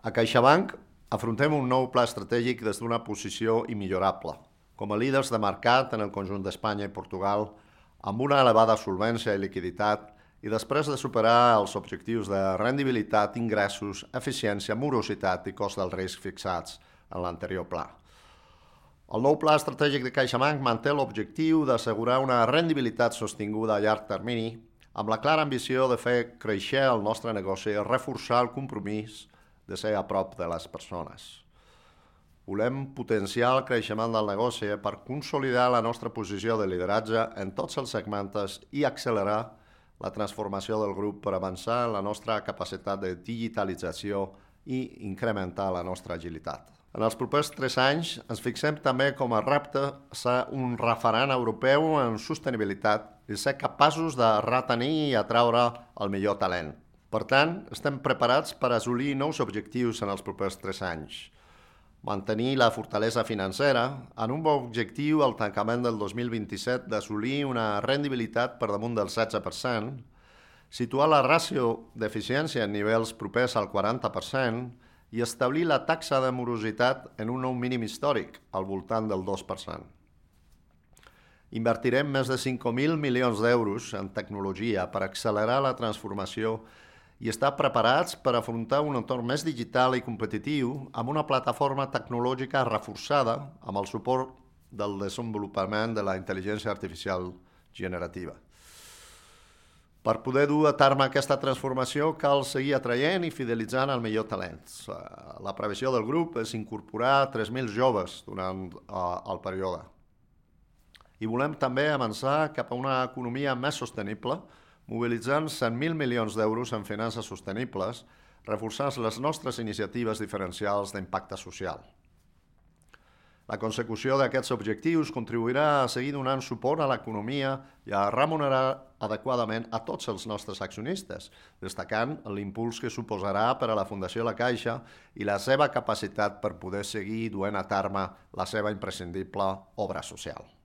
A CaixaBank afrontem un nou pla estratègic des d'una posició immillorable, com a líders de mercat en el conjunt d'Espanya i Portugal, amb una elevada solvència i liquiditat, i després de superar els objectius de rendibilitat, ingressos, eficiència, morositat i cost del risc fixats en l'anterior pla. El nou pla estratègic de CaixaBank manté l'objectiu d'assegurar una rendibilitat sostinguda a llarg termini, amb la clara ambició de fer créixer el nostre negoci i reforçar el compromís de ser a prop de les persones. Volem potenciar el creixement del negoci per consolidar la nostra posició de lideratge en tots els segments i accelerar la transformació del grup per avançar en la nostra capacitat de digitalització i incrementar la nostra agilitat. En els propers 3 anys ens fixem també com a repte ser un referent europeu en sostenibilitat i ser capaços de retenir i atraure el millor talent. Per tant, estem preparats per assolir nous objectius en els propers 3 anys. Mantenir la fortalesa financera en un bon objectiu al tancament del 2027 d'assolir una rendibilitat per damunt del 16%, situar la ràtio d'eficiència en nivells propers al 40% i establir la taxa de morositat en un nou mínim històric, al voltant del 2%. Invertirem més de 5.000 milions d'euros en tecnologia per accelerar la transformació i estar preparats per afrontar un entorn més digital i competitiu amb una plataforma tecnològica reforçada amb el suport del desenvolupament de la intel·ligència artificial generativa. Per poder dur a terme aquesta transformació cal seguir atraient i fidelitzant el millor talent. La previsió del grup és incorporar 3.000 joves durant el període. I volem també avançar cap a una economia més sostenible, mobilitzant 100.000 milions d'euros en finances sostenibles, reforçant les nostres iniciatives diferencials d'impacte social. La consecució d'aquests objectius contribuirà a seguir donant suport a l'economia i a remunerar adequadament a tots els nostres accionistes, destacant l'impuls que suposarà per a la Fundació La Caixa i la seva capacitat per poder seguir duent a terme la seva imprescindible obra social.